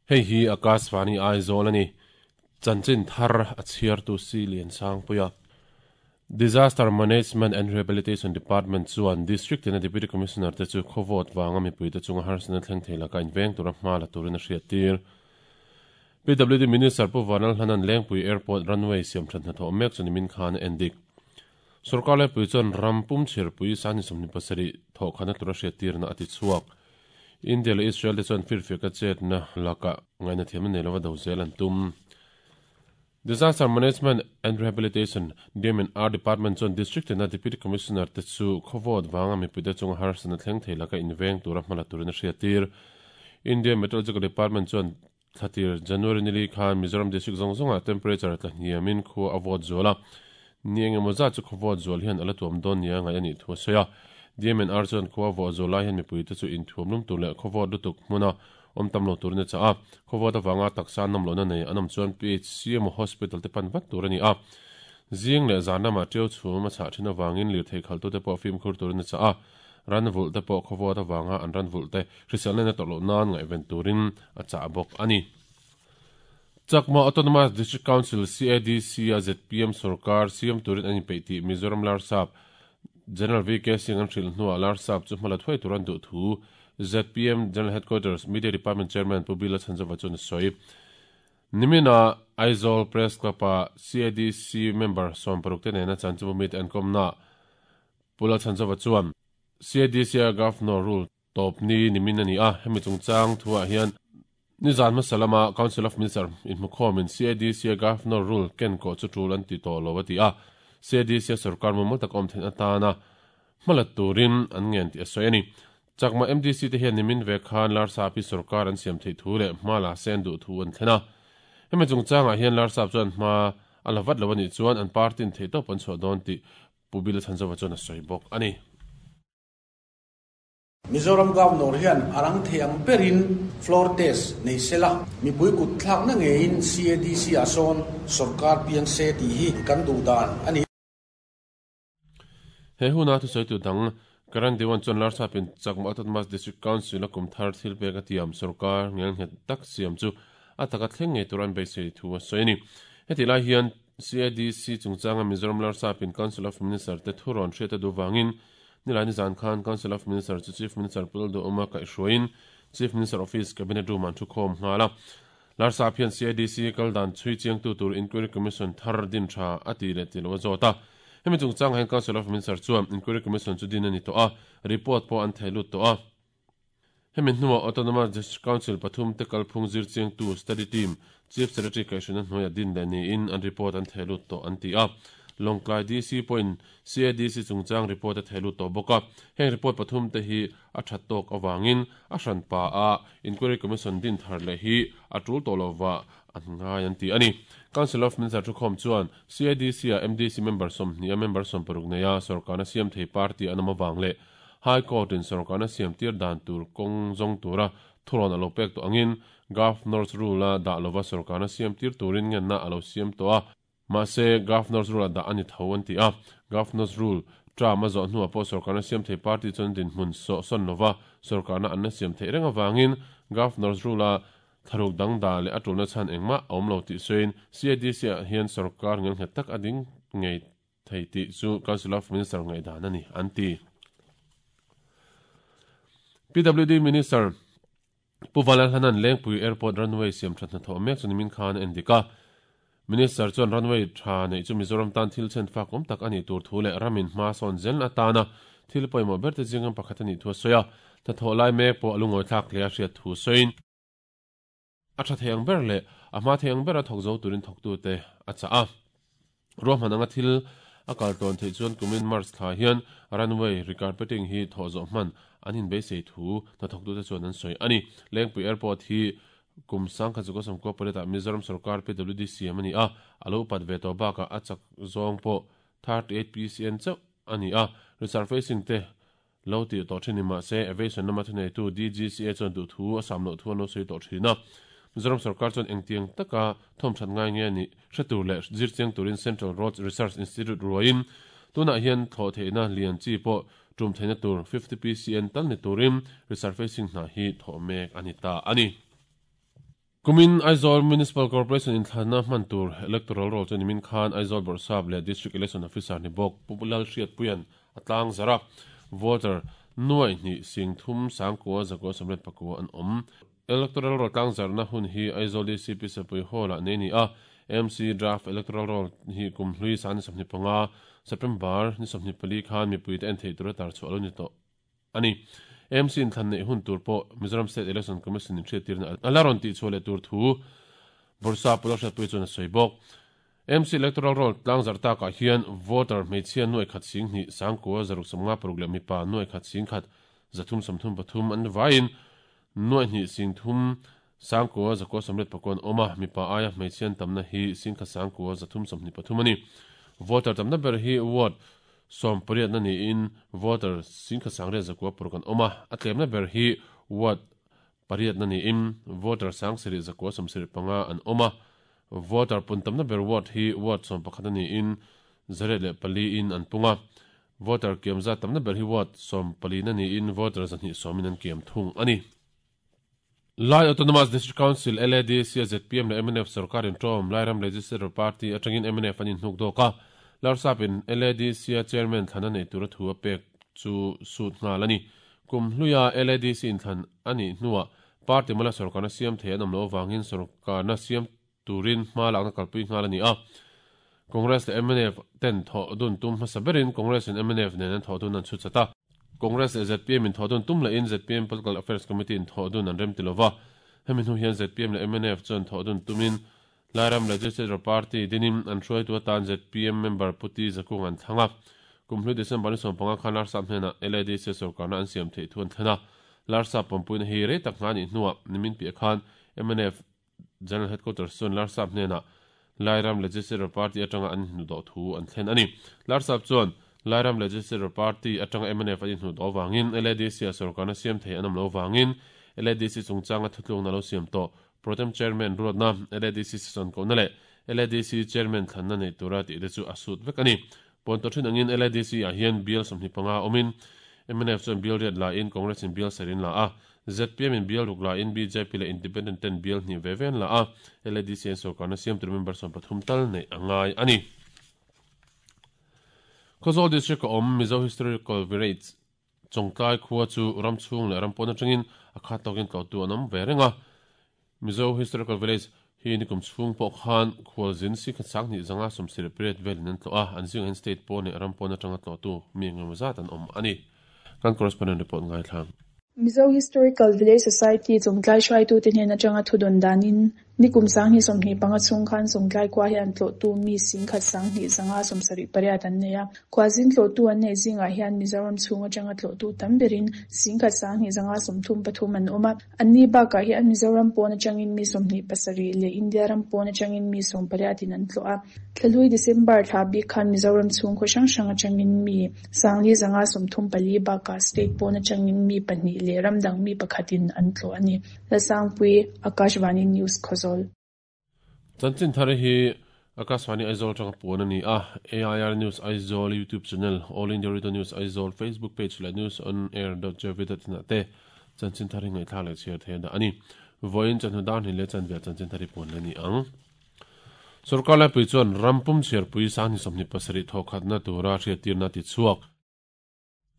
Hei hi Akashvani Aizawl a ni. Chanchin thar a chhiartu Si Liansangpuia. Disaster Management and Rehabilitation Department chuan District tina Deputy Commissioner te chu khawvawt vanga mipuite chunga harsatna thleng thei laka inveng tura hma la turin a hriattir. PWD Minister Pu Vanal Hlanan Lengpui Airport runway siamthat hnathawh mek chu nimin khan a endik. Sorkar Laipui chuan ram pum chhirpui sani 27 thawhkhana tura hriattirna a ti chhuak. India leh Israel te chuan firfiaka chetna lakah ngaihna thiamna nei lova do zel an tum. Disaster Management and Rehabilitation, DMNR, Department chuan District tina Deputy Commissioner te chu khawvawt vanga mipuite chunga harsatna thleng thei laka inveng tura hma la turin a hriattir. India Meteorological Department chuan thlatir January nili khan Mizoram District zawng zawngah temperature tla hniamin khua a vawt zual a, ni eng emaw zat chu khawvawt zual hian a la tuam dawn nia ngaih a nih thu a sawi a. DMNR chuan khua vawh zual lai hian mipuite chu inthuam lum tur leh khawvawt lutuk hmuna awm tam lo turin a chah a, khawvawt avanga taksa an nawm lohna nei an awm chuan PHC emaw hospital te pan vat tur a ni a. Zing leh zan lamah ṭiau chhum a chhah ṭhin avangin lirthei khalhtute pawh fimkhur turin a chah a, ran vulh te pawh khawvawt avanga an ran vulh te hriselna in a tawrh loh nan ngaihven turin a chah bawk a ni. Chakma Autonomous District Council, CADC, a zpm sorkar siam turin an inpeih tih Mizoram Larsap General VK Singh an hrilh hnuah Larsap chu hmala thuai tur an duh thu zpm General Headquarters Media Department Chairman Pu Bila Chhanzova chuan a sawi. Nimina Aizawl Press Club-a CADC member 60 te nena chanchinbu mite an kawmnaah Pu Lal Chhanzova chuan CADC-a Governor rule tawp ni nimin a ni a, hemi chungchang thuah hian nizan hmasa lama Council of Minister inhmukhawmin CADC-a Governor rule ken kawh chu tul an ti tawh lo a ti a, CADC-a sorkar mumal taka awm theihna atana hmalat turin an ngen tih a sawi a ni. Chakma MDC te hian nimin ve khan Larsap hi sorkar an siam theih thu leh hma la se an duh thu an thlen a. Hemi chungchangah hian Larsap chuan hma a la vat lo a nih chuan an party-in theihtawp an chhuah dawn tih Pu Bila Chhanzova chuan a sawi bawk a ni. Mizoram Governor hian a rang thei ang berin floor test nei se la, mipui kut thlakna ngeiin CADC-ah sawn sorkar piang se tih hi kan duh dan a ni. He huna thusawitu dang Karan Dewan chuan Larsapin Chakma Autonomous District Council a kum thar thil pek a tiam sorkar ngelnghet tak siam chu a taka thleng ngei tur an beisei thu a sawi a ni. Hetih lai hian CADC chungchanga Mizoram Larsapin Council of Minister te thu rawn hriat a duh vangin nilai nizan khan Council of Minister chu Chief Minister Pu Lalduhawma kaihhruaiin Chief Minister Office Cabinet Room-ah an thukhawm nghal a. Larsap hian CADC kal dan chhui chiangtu tur Inquiry Commission thar din tha a ti leh ti lo a zawt a. Hemi chungchangah hian Council of Minister chuan Inquiry Commission chu din a ni tawh a, report pawh an thei lut tawh a. Hemi hnuah Autonomous District Council pathum te kalphung zir chiangtu Study Team, Chief Secretary kaihhruina hnuaiah din leh niin an report an thei lut tawh an ti a. Lawngtlai DC pawhin CADC chungchang report a thei lut tawh bawk a. Heng report pathum te hi a that tawk avangin a hranpa a Inquiry Commission din thar leh hi a tul tawh lova an ngai an ti a ni. Council of Minister thukhawm chuan CADC-ah MDC member 20 a member 60 neia sorkarna siam thei party an awm avang leh High Court-in sorkarna siam tir dan tur kawng zawng tura thurawn a lo pek tawh angin Governor's Rule-a dah lova sorkarna siam tir turin ngenna a lo siam tawh a. Mahse, Governor's Rule a dah a ni tho an ti a. Governor's Rule term a zawh hnuah pawh sorkarna siam thei party chuan dinhmun sawh sawn lova sorkarna an la siam theih reng avangin Governor's Rule a thlaruk dang dah leh a tulna chhan engmah a awm lo tih sawiin CADC-ah hian sorkar ngelnghet tak a ding ngei thei tih chu Council of Minister ngaihdan a ni an ti. PWD Minister Pu Valalhanan Lengpui Airport runway siam tha hnathawh mek chu nimin khan a endik a. Minister chuan runway tha neih chu Mizoram tan thil chhen fak awm tak a nih tur thu leh ramin hma sawn zel atana thil pawimawh ber te zingam pakhat a nih thu a sawi a. Hnathawh lai mek pawh a lungawi thlak hle a hriat thu sawiin a tha thei ang ber leh a hma thei ang bera thawk zo turin thawktute a chah a. Ruahman anga thil a kal tawn theih chuan kumin March thla hian runway recarpeting hi thawh zawh hman an inbeisei thu hnathawktute chuan an sawi a ni. Lengpui Airport hi kum 1998 ah Mizoram sorkar PWD siam a ni a, a lo upat ve tawh bakah a chak zawng pawh 38 PCN chauh a ni a, resurfacing te lo tih tawh thin ni mah se aviation lama thuneitu DGCA chuan duh thu a sam loh thu an lo sawi tawh thin a. Mizoram sorkar chuan engtiang taka thawmthat ngai nge nih hre tur leh zir chiang turin Central Roads Research Institute ruaiin tunah hian thlawh theihna lian chi pawh tum theihna tur 50 PCN tal ni turin resurfacing hna hi thawh mek a ni ta a ni. Kumin Aizawl Municipal Corporation inthlanna hman tur Electoral Roll chu nimin khan Aizawl Bawrhsap leh District Election Officer ni bawk Pu Lalhriatpuia'n a tlang zarh a, voter nuaih hnih sing thum sangkua zakua sawmriat pakua an awm. Electoral Roll tlang zarhna hun hi Aizawl DCP Sapui Hall-ah nei a ni a, MC Draft Electoral Roll hi kum hlui sang ni 25, September ni 24 khan mipuite en theih tura tarchhuah a lo ni tawh. a ni. AMC in thlan neih hun tur pawh Mizoram State Election Commission in hriattirna a la rawn tihchhuah leh tur thu Bawrhsa Pawlawk Hriatpuia chuan a sawi bawk. AMC Electoral Roll tlangzarh takah hian voter hmeichhia nuai khat sing hnih sangkua zaruk sawmnga paruk leh mipa nuai khat sing khat zathum sawmthum pathum an vaiin nuai hnih sing thum sangkua zakua sawmriat pakua an awm a, mipa aia hmeichhia an tamna hi sing khat sangkua zathum sawmhnih pathum a ni. Voter tamna ber hi ward Sawmpariatna niin voter singkhat sangriat zakua paruk an awm a, a tlemna ber hi ward pariatna niin voter sangsarih zakua sawmsarih panga an awm a, voter pun tamna ber ward hi ward sawmpakhatna niin zariat leh pali in an pung a, voter kiam zat tamna ber hi ward sawmpalina niin voter zahnih sawmin an kiam thung a ni. Lai Autonomous District Council, LADC, a zpm leh mnf sorkar inṭawm Lairam Legislature Party aṭangin mnf an inhnuk dawk a, Larsapin LADC-a chairman thlan a neih tura thu a pek chu sut nghal a ni. Kum hluia LADC inthlan a nih hnuah party mala sorkarna siam thei an awm loh avangin sorkarna siam turin hma lakna kalpui nghal a ni a. Congress leh mnf ten thawh dun tum hmasa berin Congress in mnf nen an thawh dun an chhut chat a. Congress leh zpm in thawh dun tum lehin zpm Political Affairs Committee in thawh dun an rem ti lova. Hemi hnu hian zpm leh mnf chuan thawh dun tumin Lairam Legislature Party dinin an hruaitu atan zpm member Pu Ti Zakung an thlang a. Kum hlui December ni 15 khan Larsap hnenah LADC sorkarna an siam theih thu an thlen a. Larsap pawmpuina hi rei tak hna a nih hnuah nimin piah khan mnf General Headquarters chuan Larsap hnenah Lairam Legislature Party atanga an inhnuhdawh thu an thlen a ni. Larsap chuan Lairam Legislature Party atanga mnf an inhnuhdawh avangin LADC-ah sorkarna siam thei an awm lo avangin LADC chungchanga thutlukna lo siam tawh Protem Chairman ruatna LADC sesawn kohna leh LADC Chairman thlanna nei tura tih te chu a sut vek a ni. Pawn tawh thin angin LADC-ah hian bial 25 awmin mnf chuan bial riat la in Congress in bial sarin la a, zpm in bial ruk la in bjp leh Independent ten bial hnih ve ve an la a, LADC an sorkarna siam tur member 13 tal neih a ngai a ni. Khawzawl District a awm Mizo Historical Village Chawngtlai khua chu ram chhung leh ram pawn atangin a khat tawkin tlawhtu an awm ve reng a. Mizo Historical Village hi nikum chhung pawh khan khualzin sikhat sanghnih zanga sawmsarih pariat velin an tlawh a, an zingah hian state pawn leh ram pawn atanga tlawhtu mi engemaw zat an awm a ni. Kan correspondent report ngaithla. Mizo Historical Village Society Chawngtlai hruaitute hnen atanga thudawn danin Nikum sanghnih 25 chhung khan Chawngtlai khua hian tlawhtu mi singkhat sanghnih zanga 78 an nei a. Khuazin tlawhtu an neih zingah hian Mizoram chhung atanga tlawhtu tam berin singkhat sanghnih zanga 33 an awm a. Anni bakah hian Mizoram pawn atangin mi 27 leh India ram pawn atangin mi 18 in an tlawh a. Thlahlui December thla bik khan Mizoram chhung khaw hrang hrang atangin mi sangli zanga 34 bakah state pawn atangin mi pahnih leh ram dang mi pakhatin an tlawh a ni. Lalsangpui, Akashvani News, Khawzawl. Chanchin thar hi Akashvani Aizawl atanga puan a ni a, AIR News Aizawl YouTube channel, All India Radio News Aizawl Facebook page leh newsonair.gov.in ah te chanchin thar hi ngaihthlak leh chhiar theih a dah a ni. Vawiin chawhnu dar hnih leh chanve ah chanchin thar hi puan leh a ni ang. Sorkar laipui chuan ram pum chhiarpui sanghnih 27 thawhkhatna tura hriattirna a tichhuak.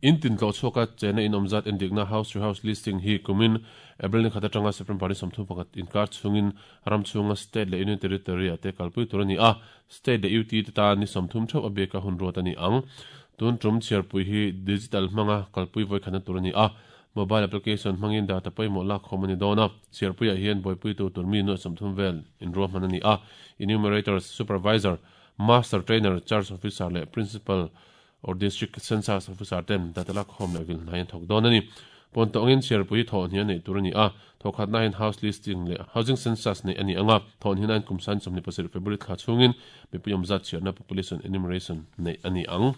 In tin tlawh chhuaka chena in awm zat endikna House to House Listing hi kumin April ni khat atanga September ni 31 inkar chhungin ram chhunga State leh Union Territory ah te kalpui tur a ni a, State leh UT te tan ni 30 theuh a biaka hun ruat a ni ang. Tun tum chhiarpui hi digital hmanga kalpui vawikhatna tur a ni a, mobile application hmangin data pawimawh lakkhawm a ni dawn a, chhiarpuiah hian buaipuitu tur mi nuaih 30 vel inruahman a ni a, Enumerators, Supervisor, Master Trainer, Charge Officer leh Principal or District Census Officer ten data lakkhawm leh vil hnai an thawk dawn a ni. Pawn tawngin chhiarpui hi thawh hnih a neih tur a ni a, thawhkhatna hian House Listing leh Housing Census neih a ni ang a, thawh hnihna hian kum san 27 February thla chhungin mipui awm zat chhiarna Population Enumeration neih a ni ang.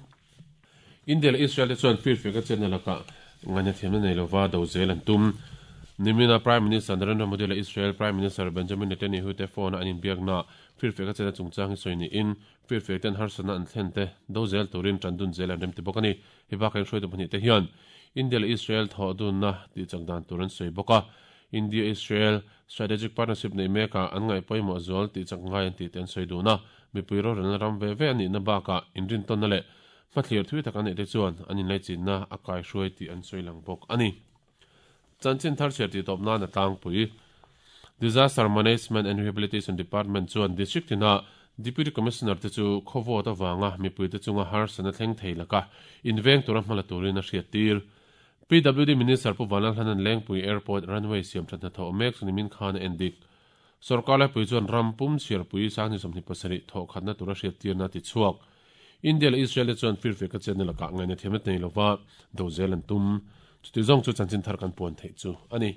India leh Israel te chuan firfiak a chenna lakah ngaihna thiamna nei lova do zel an tum. Nimina Prime Minister Narendra Modi leh Israel Prime Minister Benjamin Netanyahu te phone-a an inbiaknaah firfiak a chenna chungchang hi sawi niin Firfiak ten harsatna an thlen te do zel turin tan dun zel an rem ti bawk a ni. Hei bakah in hruaitu pahnih te hian India leh Israel thawh dunna tih chak dan tur an sawi bawk a. India-Israel Strategic Partnership neih mekah an ngaih pawimawh zual tih chak ngai an tih te an sawi dun a, mipui rorelna ram ve ve a nihna bakah inrintawnna leh hmathlir thui tak an neih te chuan an inlaichinna a kaihruai tih an sawi lang bawk a ni. Chanchin thar chhiar tih tawp nan a tlangpui. Disaster Management and Rehabilitation Department chuan District tina Deputy Commissioner te chu khaw vote avanga mipuite chunga harsatna thleng thei laka inveng tura hmala turin a hriattir. PWD Minister Pu Vanlalhlanan Lengpui Airport runway siam that hnathawh mek chu nimin khan a en dik. Sorkar laipui chuan ram pum chhiarpui sangni 27 thawh khatna tura hriattirna a ti chhuak. India leh Israel te chuan firfiak a chetna lakah ngaihna thiamna nei lova do zel an tum. Chuti zawng chu chanchin thar kan puan theih chu a ni.